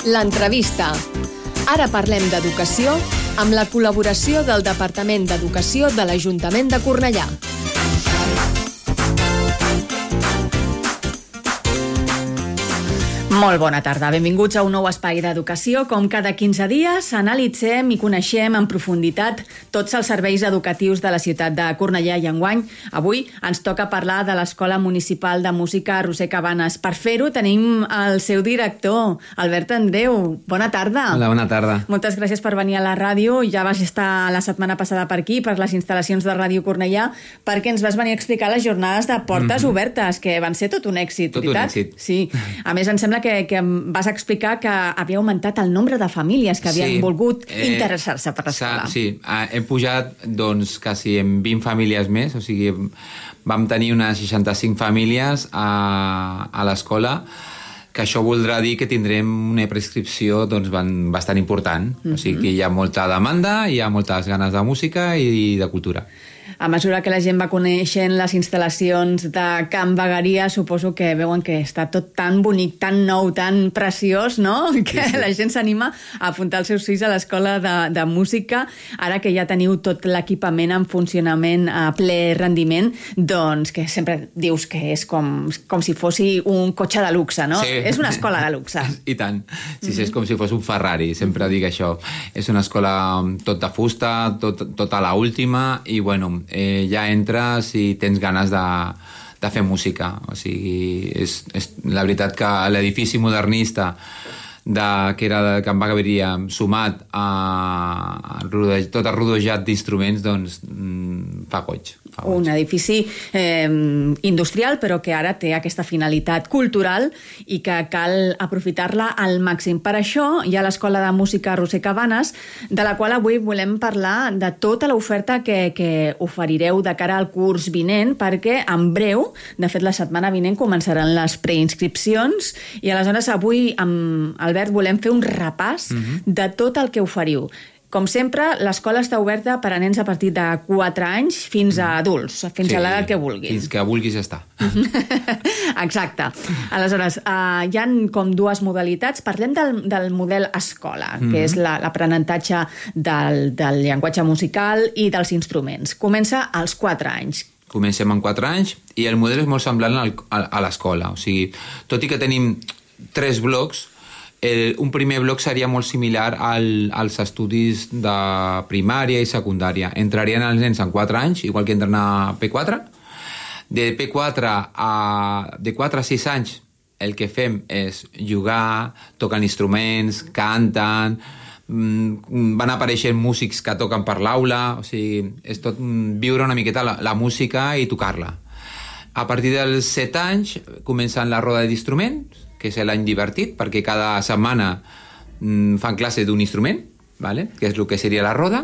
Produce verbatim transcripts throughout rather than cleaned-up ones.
L'entrevista. Ara parlem d'educació amb la col·laboració del Departament d'Educació de l'Ajuntament de Cornellà. Molt bona tarda. Benvinguts a un nou espai d'educació. Com cada quinze dies, analitzem i coneixem en profunditat tots els serveis educatius de la ciutat de Cornellà i enguany. Avui ens toca parlar de l'Escola Municipal de Música Roser Cabanes. Per fer-ho tenim el seu director, Albert Andreu. Bona tarda. Hola, bona tarda. Moltes gràcies per venir a la ràdio. Ja vas estar la setmana passada per aquí, per les instal·lacions de Ràdio Cornellà, perquè ens vas venir a explicar les jornades de portes mm-hmm. obertes, que van ser tot un èxit, tot veritat? Tot un èxit. Sí. A més, em sembla que que vas explicar que havia augmentat el nombre de famílies que havien sí, volgut eh, interessar-se per l'escola. Sí, hem pujat doncs, quasi en vint famílies més, o sigui, vam tenir unes seixanta-cinc famílies a, a l'escola, que això voldrà dir que tindrem una prescripció doncs, bastant important. Mm-hmm. O sigui que hi ha molta demanda, hi ha moltes ganes de música i de cultura. A mesura que la gent va coneixent les instal·lacions de Can Bagaria, suposo que veuen que està tot tan bonic, tan nou, tan preciós, no? Que sí, sí. La gent s'anima a apuntar els seus fills a l'escola de, de música. Ara que ja teniu tot l'equipament en funcionament a ple rendiment, doncs que sempre dius que és com, com si fossi un cotxe de luxe, no? Sí. És una escola de luxe. I tant. Sí, sí, és com si fos un Ferrari, sempre dic això. És una escola tot de fusta, tot, tot a l'última, i bueno, Eh, ja entres i tens ganes de, de fer música. O sigui, és, és la veritat que l'edifici modernista de, que era de Can Bagaria, sumat a, a rodej, tot el rodejat d'instruments, doncs mm, fa goig. Un edifici eh, industrial, però que ara té aquesta finalitat cultural i que cal aprofitar-la al màxim. Per això hi ha l'Escola de Música Roser Cabanes, de la qual avui volem parlar de tota l'oferta que, que oferireu de cara al curs vinent, perquè en breu, de fet la setmana vinent, començaran les preinscripcions, i aleshores avui amb Albert volem fer un repàs mm-hmm. de tot el que oferiu. Com sempre, l'escola està oberta per a nens a partir de quatre anys fins a adults, fins sí, a l'edat que vulguis. Fins que vulguis estar. Exacte. Aleshores, uh, hi ha com dues modalitats. Parlem del, del model escola, mm-hmm. que és l'aprenentatge del, del llenguatge musical i dels instruments. Comença als quatre anys. Comencem amb quatre anys i el model és molt semblant al, a, a l'escola. O sigui, tot i que tenim tres blocs, El, un primer bloc seria molt similar al, als estudis de primària i secundària. Entrarien els nens en quatre anys, igual que entren a P quatre. De P quatre a, de quatre a sis anys el que fem és jugar, toquen instruments, canten, van apareixent músics que toquen per l'aula, o sigui, és tot viure una miqueta la, la música i tocar-la. A partir dels set anys comencen la roda d'instruments, que és l'any divertit, perquè cada setmana mm, fan classe d'un instrument, vale? Que és el que seria la roda.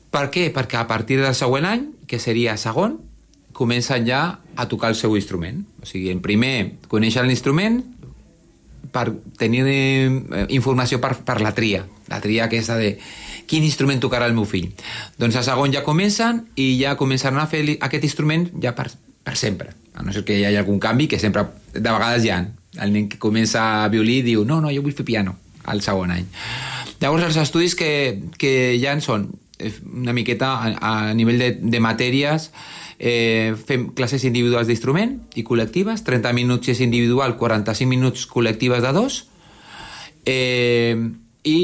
Per què? Perquè a partir del següent any, que seria segon, comencen ja a tocar el seu instrument. O sigui, en primer coneixen l'instrument per tenir eh, informació per, per la tria, la tria aquesta de quin instrument tocarà el meu fill. Doncs a segon ja comencen i ja començaran a fer aquest instrument ja per, per sempre. A no ser que hi hagi algun canvi, que sempre, de vegades hi ha. El nen que comença a violí diu no, no, jo vull fer piano al segon any. Llavors els estudis que, que hi ha són una miqueta a, a nivell de, de matèries, eh, fem classes individuals d'instrument i col·lectives, trenta minuts és individual, quaranta-cinc minuts col·lectives de dos, eh, i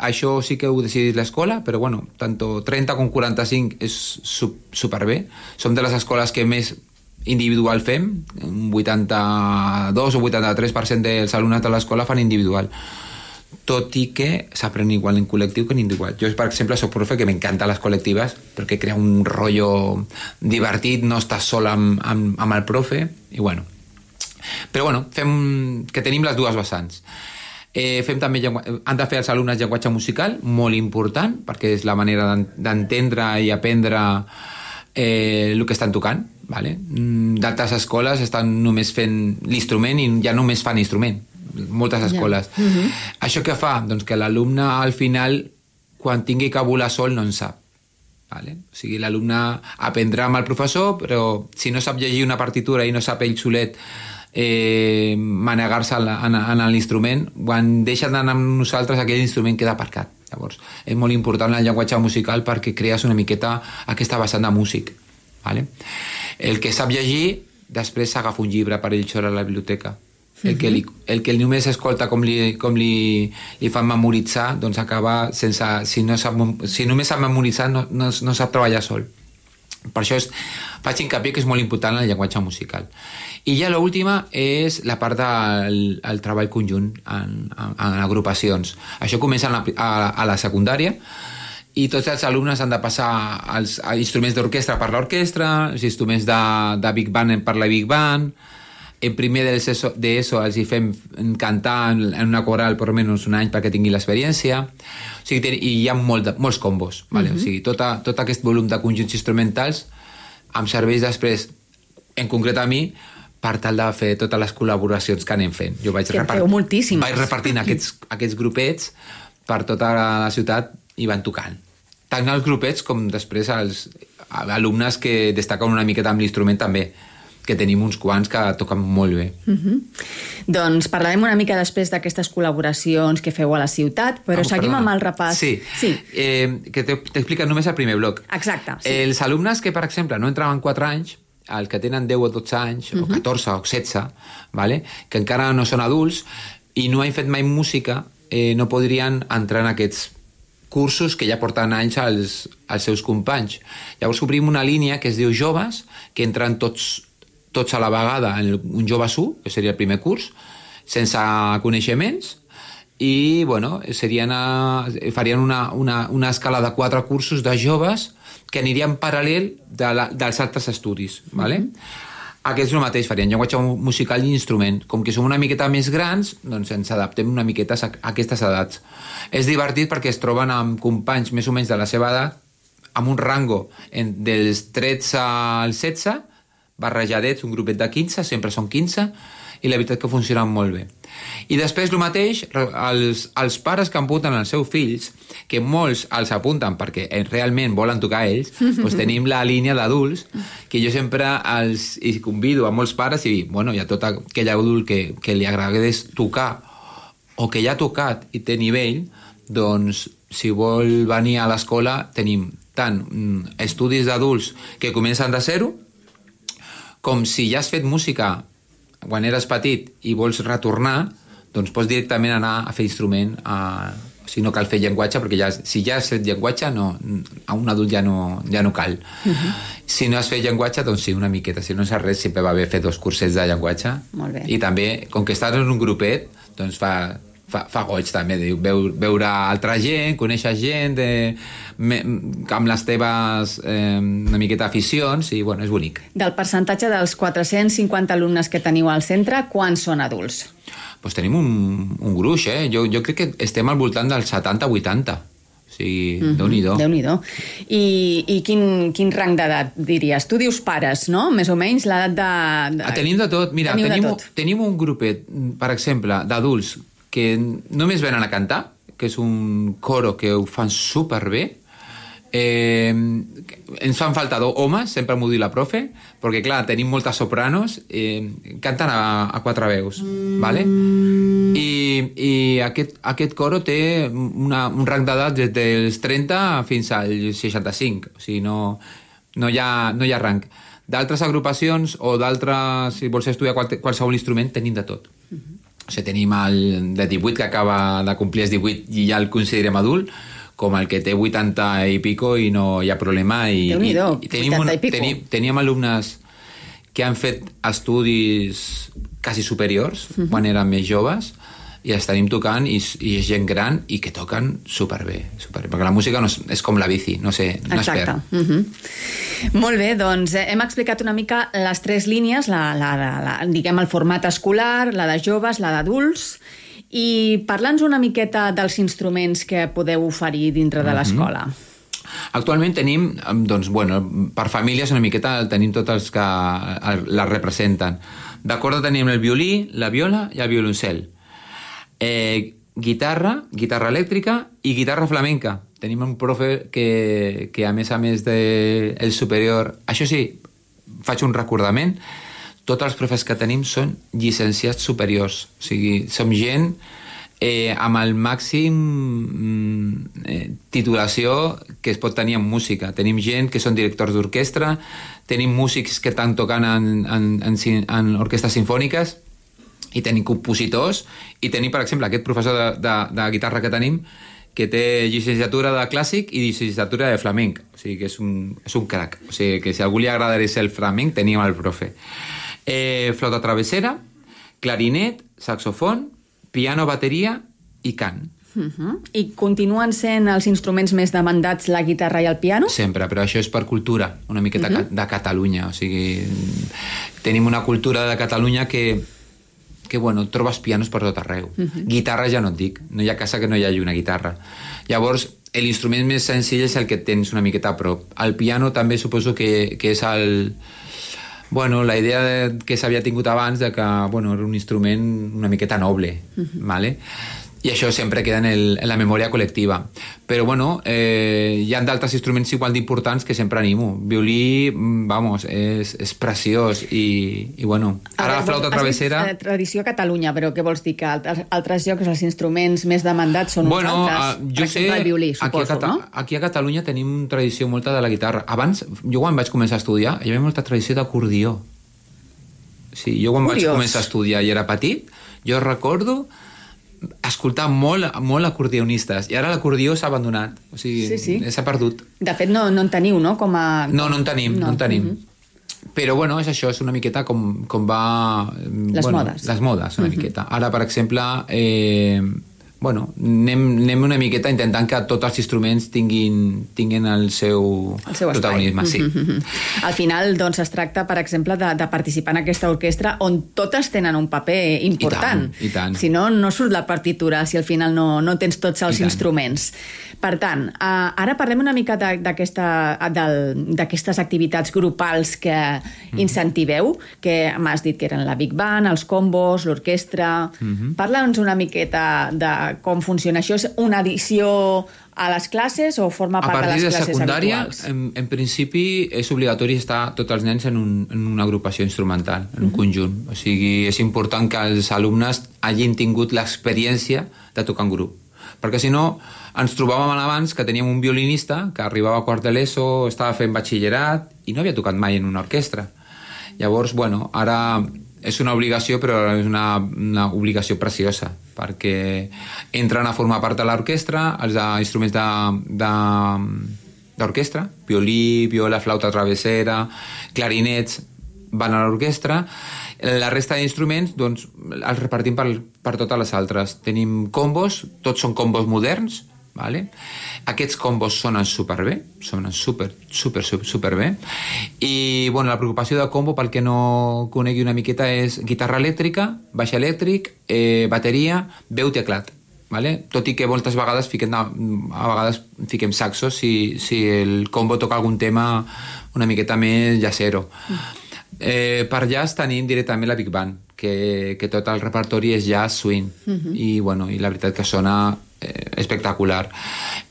això sí que ho decidit l'escola, però bueno, tant trenta com quaranta-cinc és superbé. Som de les escoles que més individual fem, un vuitanta-dos o vuitanta-tres per cent dels alumnes de l'escola fan individual, tot i que s'aprèn igual en col·lectiu que en individual. Jo, per exemple, soc profe que m'encanta les col·lectives perquè crea un rotllo divertit, no estàs sol amb, amb, amb el profe, i bueno. Però bueno, fem que tenim les dues vessants. Eh, fem també llengu... han de fer els alumnes llenguatge musical, molt important, perquè és la manera d'entendre i aprendre eh, el que estan tocant. Vale? D'altres escoles estan només fent l'instrument i ja només fan instrument, moltes escoles. Yeah. Mm-hmm. Això què fa? Doncs que l'alumne al final, quan tingui que volar sol, no en sap. Vale? O sigui, l'alumne aprendrà amb el professor, però si no sap llegir una partitura i no sap ell solet eh, manegar-se en, en l'instrument, quan deixen d'anar amb nosaltres aquell instrument queda aparcat. Llavors, és molt important el llenguatge musical perquè crees una miqueta aquesta vessant de músic. Vale? El que sap llegir, després s'agafa un llibre per ell sola a la biblioteca. El que, li, el que només escolta com li, com li, li fan memoritzar, doncs acaba sense... Si, no sap, si només sap memoritzar, no, no, no sap treballar sol. Per això és, faig hincapié que és molt important el llenguatge musical. I ja l'última és la part del el treball conjunt en, en, en agrupacions. Això comença a la, a, a la secundària i tots els alumnes han de passar els, els instruments d'orquestra per l'orquestra, els instruments de, de Big Band per la Big Band. En primer d'ESO els hi fem cantar en una coral per almenys un any perquè tingui l'experiència. O sigui, i hi ha molt de, molts combos. Vale? Uh-huh. O sigui, tota, tot aquest volum de conjunts instrumentals em serveix després, en concret a mi, per tal de fer totes les col·laboracions que anem fent. Jo vaig, que repart... moltíssimes. vaig repartint aquests, aquests grupets per tota la ciutat i van tocant. Tant els grupets com després els alumnes que destaquen una miqueta amb l'instrument també, que tenim uns quants que toquen molt bé. Uh-huh. Doncs parlarem una mica després d'aquestes col·laboracions que feu a la ciutat, però ah, seguim perdona. amb el repàs. Sí, sí. Eh, que t'expliquen només el primer bloc. Exacte. Sí. Els alumnes que, per exemple, no entraven quatre anys, els que tenen deu o dotze anys, uh-huh. o catorze o setze, vale? Que encara no són adults i no han fet mai música, eh, no podrien entrar en aquests cursos que ja porten anys als, als seus companys. Llavors obrim una línia que es diu Joves, que entren tots tots a la vegada en un Joves u, que seria el primer curs, sense coneixements, i bueno, serien a, farien una, una, una escala de quatre cursos de joves que anirien paral·lel de la, dels altres estudis. Vale? Mm-hmm. Aquests el mateix, farien llenguatge musical i instrument. Com que som una miqueta més grans, doncs ens adaptem una miqueta a aquestes edats. És divertit perquè es troben amb companys més o menys de la seva edat, amb un rango en, dels tretze al setze, barrejadets, un grupet de quinze, sempre són quinze, i la veritat que funcionen molt bé. I després el mateix, els, els pares que apunten els seus fills, que molts els apunten perquè realment volen tocar ells, doncs tenim la línia d'adults, que jo sempre els i convido a molts pares i, bueno, hi ha tot aquell adult que, que li agradés tocar o que ja ha tocat i té nivell, doncs si vol venir a l'escola tenim tant mm, estudis d'adults que comencen de zero, com si ja has fet música quan eres petit i vols retornar, doncs pots directament anar a fer instrument, a... si no cal fer llenguatge, perquè ja, si ja has fet llenguatge, no, a un adult ja no, ja no cal. Uh-huh. Si no has fet llenguatge, doncs sí, una miqueta. Si no saps res, sempre va bé fer dos cursets de llenguatge. Molt bé. I també, com que estàs en un grupet, doncs fa... Fa, fa goig també, veure, veure altra gent, conèixer gent de, me, amb les teves eh, una miqueta aficions i bueno, és bonic. Del percentatge dels quatre-cents cinquanta alumnes que teniu al centre, quants són adults? Pues tenim un, un gruix, eh? Jo, jo crec que estem al voltant del setanta vuitanta. O sigui, mm-hmm. Déu-n'hi-do. Déu-n'hi-do. I, i quin, quin rang d'edat diries? Tu dius pares, no? Més o menys l'edat de... de... Ah, tenim de tot. Mira, tenim, de tot. tenim un grupet, per exemple, d'adults que només venen a cantar, que és un coro que ho fan superbé. Eh, ens fan falta dos homes, sempre m'ho diu la profe, perquè clar, tenim moltes sopranos, eh, canten a, a quatre veus, vale? I, i aquest, aquest coro té una, un rang d'edat des dels trenta fins als seixanta-cinc, o sigui, no, no, hi ha, no hi ha rang. D'altres agrupacions o d'altres, si vols estudiar qual, qualsevol instrument, tenim de tot. Uh-huh. O sigui, tenim el de divuit que acaba de complir els divuit i ja el considerem adult, com el que té vuitanta i pico i no hi ha problema. I, Déu-n'hi-do, i, i tenim, vuitanta i pico. Tenim, teníem alumnes que han fet estudis quasi superiors, uh-huh. quan eren més joves, i els tenim tocant i, i és gent gran i que toquen superbé, superbé, perquè la música no és, és com la bici, no sé, no es perd. Exacte. Uh-huh. Molt bé, doncs eh, hem explicat una mica les tres línies, la, la, la, la, diguem el format escolar, la de joves, la d'adults, i parla'ns una miqueta dels instruments que podeu oferir dintre de l'escola. Uh-huh. Actualment tenim, doncs, bueno, per famílies una miqueta tenim tots els que la representen. D'acord, tenim el violí, la viola i el violoncel. Eh, guitarra, guitarra elèctrica i guitarra flamenca. Tenim un profe que, que a més a més del de superior... Això sí, faig un recordament. tots els profes que tenim són llicenciats superiors. O sigui, som gent eh, amb el màxim eh, titulació que es pot tenir en música. Tenim gent que són directors d'orquestra, tenim músics que estan tocant en, en, en, en orquestres sinfòniques, i tenim compositors, i tenim, per exemple, aquest professor de, de, de guitarra que tenim, que té llicenciatura de clàssic i llicenciatura de flamenc. O sigui, que és un, és un crac. O sigui, que si a algú li agradaria ser el flamenc, tenim el profe. Eh, flauta travessera, clarinet, saxofon, piano, bateria i cant. Uh-huh. I continuen sent els instruments més demandats la guitarra i el piano? Sempre, però això és per cultura, una miqueta uh-huh. de Catalunya. O sigui, tenim una cultura de Catalunya que, que bueno, trobes pianos per tot arreu. Uh-huh. Guitarra ja no et dic, no hi ha casa que no hi hagi una guitarra. Llavors, l'instrument més senzill és el que tens una miqueta a prop. El piano també suposo que, que és el... Bueno, la idea de, que s'havia tingut abans de que, bueno, era un instrument una miqueta noble, uh-huh. ¿vale? I això sempre queda en, el, en la memòria col·lectiva. Però, bueno, eh, hi ha d'altres instruments igual d'importants que sempre animo. Violí, vamos, és, és preciós i, i bueno, ara la flauta travessera... Has dit, eh, tradició a Catalunya, però què vols dir? Que altres, altres llocs els instruments més demandats són bueno, uns altres? Uh, jo per exemple, sé, el violí, suposo, aquí a, Cata- no? aquí a Catalunya tenim tradició molta de la guitarra. Abans, jo quan vaig començar a estudiar, hi havia molta tradició d'acordió. Sí, jo quan Curiós. vaig començar a estudiar i era petit, jo recordo escoltar molt, molt acordionistes, i ara l'acordió s'ha abandonat, o sigui, sí, sí. s'ha perdut. De fet, no, no en teniu, no? Com a... No, no en tenim, no, no en tenim. Uh-huh. Però, bueno, és això, és una miqueta com, com va... Les bueno, modes. Les modes, una uh-huh. miqueta. Ara, per exemple, eh, bueno, anem, anem una miqueta intentant que tots els instruments tinguin, tinguin el seu, el seu protagonisme. Sí. Al final, doncs, es tracta, per exemple, de, de participar en aquesta orquestra on totes tenen un paper important. I tant, i tant. Si no, no surt la partitura, si al final no, no tens tots els instruments. Per tant, uh, ara parlem una mica d'aquesta, d'aquestes activitats grupals que mm-hmm. incentiveu, que m'has dit que eren la Big Band, els combos, l'orquestra... Mm-hmm. Parla'ns una miqueta de com funciona això. És una addició a les classes o forma part de les classes secundària, habituals? En, en principi és obligatori estar tots els nens en, un, en una agrupació instrumental, en un uh-huh. conjunt. O sigui, és important que els alumnes hagin tingut l'experiència de tocar en grup. Perquè si no, ens trobàvem abans que teníem un violinista que arribava a quart de l'ESO, estava fent batxillerat i no havia tocat mai en una orquestra. Llavors, bueno, ara és una obligació, però és una, una obligació preciosa, perquè entren a formar part de l'orquestra, els instruments de, de, d'orquestra, violí, viola, flauta travessera, clarinets, van a l'orquestra. La resta d'instruments, doncs, els repartim per, per totes les altres. Tenim combos, tots són combos moderns, vale? Aquests combos sonen superbé, sonen super, super, super, superbé. I, bueno, la preocupació de combo, pel que no conegui una miqueta, és guitarra elèctrica, baix elèctric, eh, bateria, veu, teclat. Vale? Tot i que moltes vegades fiquem, a vegades fiquem saxos si, si el combo toca algun tema una miqueta més jazzero. Eh, per jazz tenim directament la Big Band, que, que tot el repertori és jazz swing, uh-huh. i, bueno, i la veritat que sona eh, espectacular.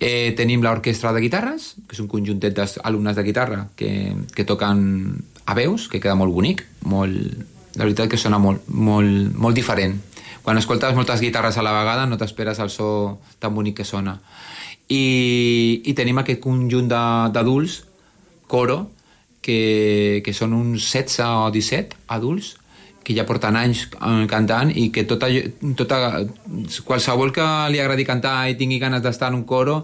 Eh, tenim l'orquestra de guitarres, que és un conjuntet d'alumnes de guitarra que, que toquen a veus, que queda molt bonic, molt, la veritat que sona molt, molt, molt diferent. Quan escoltes moltes guitarres a la vegada no t'esperes el so tan bonic que sona. I, i tenim aquest conjunt d'adults, coro, que, que són uns setze o disset adults que ja porten anys cantant i que tota, tota, qualsevol que li agradi cantar i tingui ganes d'estar en un coro,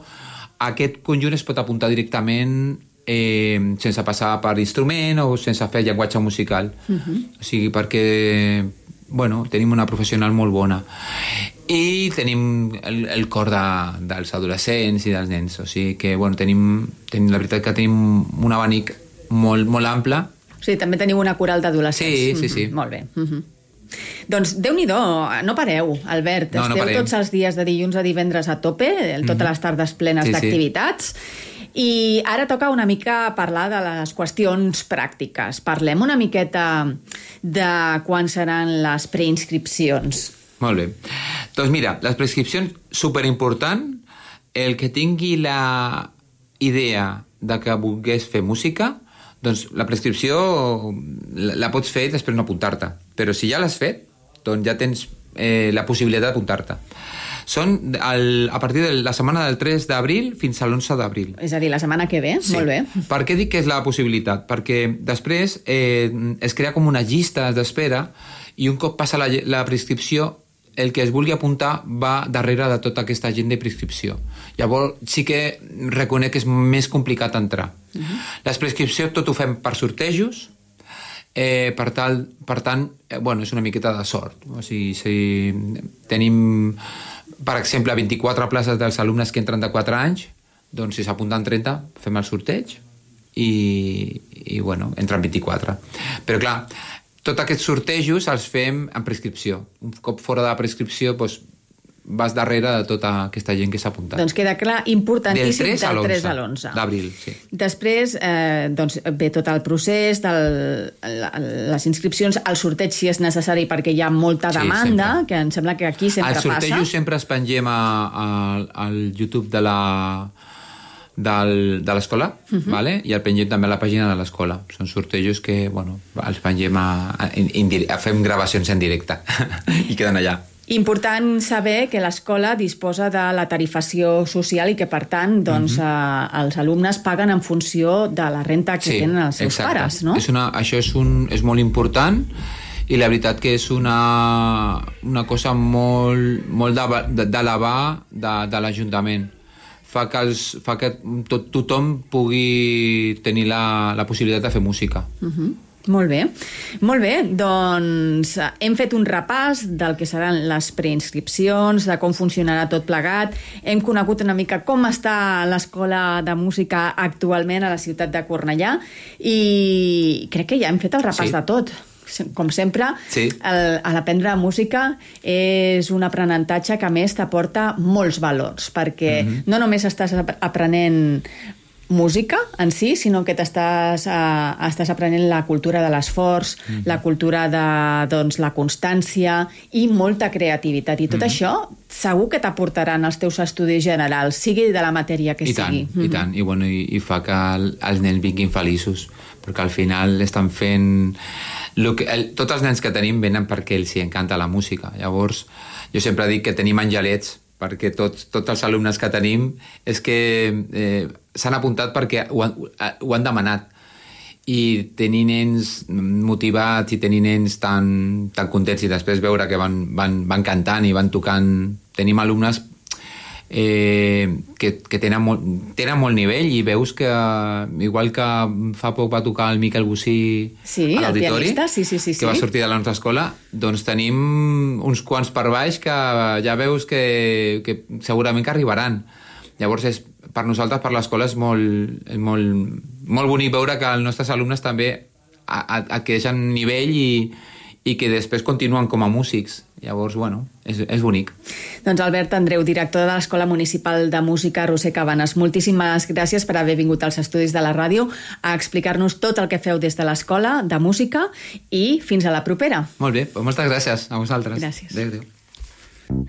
aquest conjunt es pot apuntar directament eh, sense passar per instrument o sense fer llenguatge musical. Uh-huh. O sigui, perquè bueno, tenim una professional molt bona. I tenim el, el cor de, dels adolescents i dels nens. O sigui que, bueno, tenim, tenim la veritat que tenim un abanic molt, molt ample. O sigui, també teniu una coral d'adolescents. Sí, sí, sí. Mm-hmm. Molt bé. Mm-hmm. Doncs, Déu-n'hi-do, no pareu, Albert. No, no Esteu parem. tots els dies de dilluns a divendres a tope, totes mm-hmm. les tardes plenes sí, d'activitats. Sí. I ara toca una mica parlar de les qüestions pràctiques. Parlem una miqueta de quan seran les preinscripcions. Molt bé. Doncs mira, les preinscripcions, superimportant, el que tingui la idea de que volgués fer música, doncs la prescripció la, la pots fer i després no apuntar-te. Però si ja l'has fet, doncs ja tens eh, la possibilitat d'apuntar-te. Són el, a partir de la setmana del tres d'abril fins a l'onze d'abril. És a dir, la setmana que ve? Sí. Molt bé. Per què dic que és la possibilitat? Perquè després eh, es crea com una llista d'espera i un cop passa la, la prescripció, el que es vulgui apuntar va darrere de tota aquesta gent de prescripció. Llavors sí que reconec que és més complicat entrar. Uh-huh. Les prescripcions tot ho fem per sortejos, eh, per, tal, per tant, eh, bueno, és una miqueta de sort. O sigui, si tenim, per exemple, vint-i-quatre places dels alumnes que entren de quatre anys, doncs si s'apunten trenta, fem el sorteig i, i bueno, entren vint-i-quatre. Però clar, tots aquests sortejos els fem en prescripció. Un cop fora de la prescripció, doncs, vas darrere de tota aquesta gent que s'ha apuntat. Doncs queda clar, importantíssim, del del tres a l'onze. D'abril, sí. Després eh, doncs, ve tot el procés, del, la, les inscripcions, el sorteig si és necessari perquè hi ha molta demanda, sí, que em sembla que aquí sempre passa. Els sortejos sempre els pengem a, a, al YouTube de la... Del, de l'escola, uh-huh. vale? I el pengem també a la pàgina de l'escola. Són sortejos que, bueno, els pengem a, a, a fem gravacions en directe i queden allà. Important saber que l'escola disposa de la tarifació social i que, per tant, doncs, uh-huh. eh, els alumnes paguen en funció de la renta que sí, tenen els seus exacte. pares, no? És una, això és, un, és molt important i la veritat que és una, una cosa molt, molt d'elevar de, de l'Ajuntament. Fa que, els, fa que tot, tothom pugui tenir la, la possibilitat de fer música. Uh-huh. Molt bé. Molt bé, doncs hem fet un repàs del que seran les preinscripcions, de com funcionarà tot plegat. Hem conegut una mica com està l'escola de música actualment a la ciutat de Cornellà i crec que ja hem fet el repàs sí. de tot. Com sempre, sí. el, l'aprendre música és un aprenentatge que a més t'aporta molts valors, perquè mm-hmm. no només estàs aprenent música en si, sinó que t'estàs uh, estàs aprenent la cultura de l'esforç, mm-hmm. la cultura de doncs, la constància i molta creativitat. I tot mm-hmm. això segur que t'aportaran els teus estudis generals, sigui de la matèria que I sigui. Tant, mm-hmm. I tant, i, bueno, i, i fa que el, els nens vinguin feliços, perquè al final estan fent... Lo que, el, tots els nens que tenim venen perquè els hi encanta la música. Llavors, jo sempre dic que tenim angelets, perquè tots, tots els alumnes que tenim és que eh, s'han apuntat perquè ho han, ho han demanat. I tenir nens motivats i tenir nens tan, tan contents i després veure que van, van, van cantant i van tocant... Tenim alumnes eh, que, que tenen, molt, tenen molt nivell i veus que, igual que fa poc va tocar el Miquel Bocí sí, a l'auditori, sí, sí, sí, sí. que va sortir de la nostra escola, doncs tenim uns quants per baix que ja veus que, que segurament que arribaran. Llavors, és, per nosaltres, per l'escola, és molt, és molt, molt bonic veure que els nostres alumnes també adquireixen nivell i, i que després continuen com a músics. Llavors, bueno, és, és bonic. Doncs Albert Andreu, director de l'Escola Municipal de Música Roser Cabanes, moltíssimes gràcies per haver vingut als estudis de la ràdio a explicar-nos tot el que feu des de l'Escola de Música i fins a la propera. Molt bé, moltes gràcies a vosaltres. Gràcies. Adéu, adéu.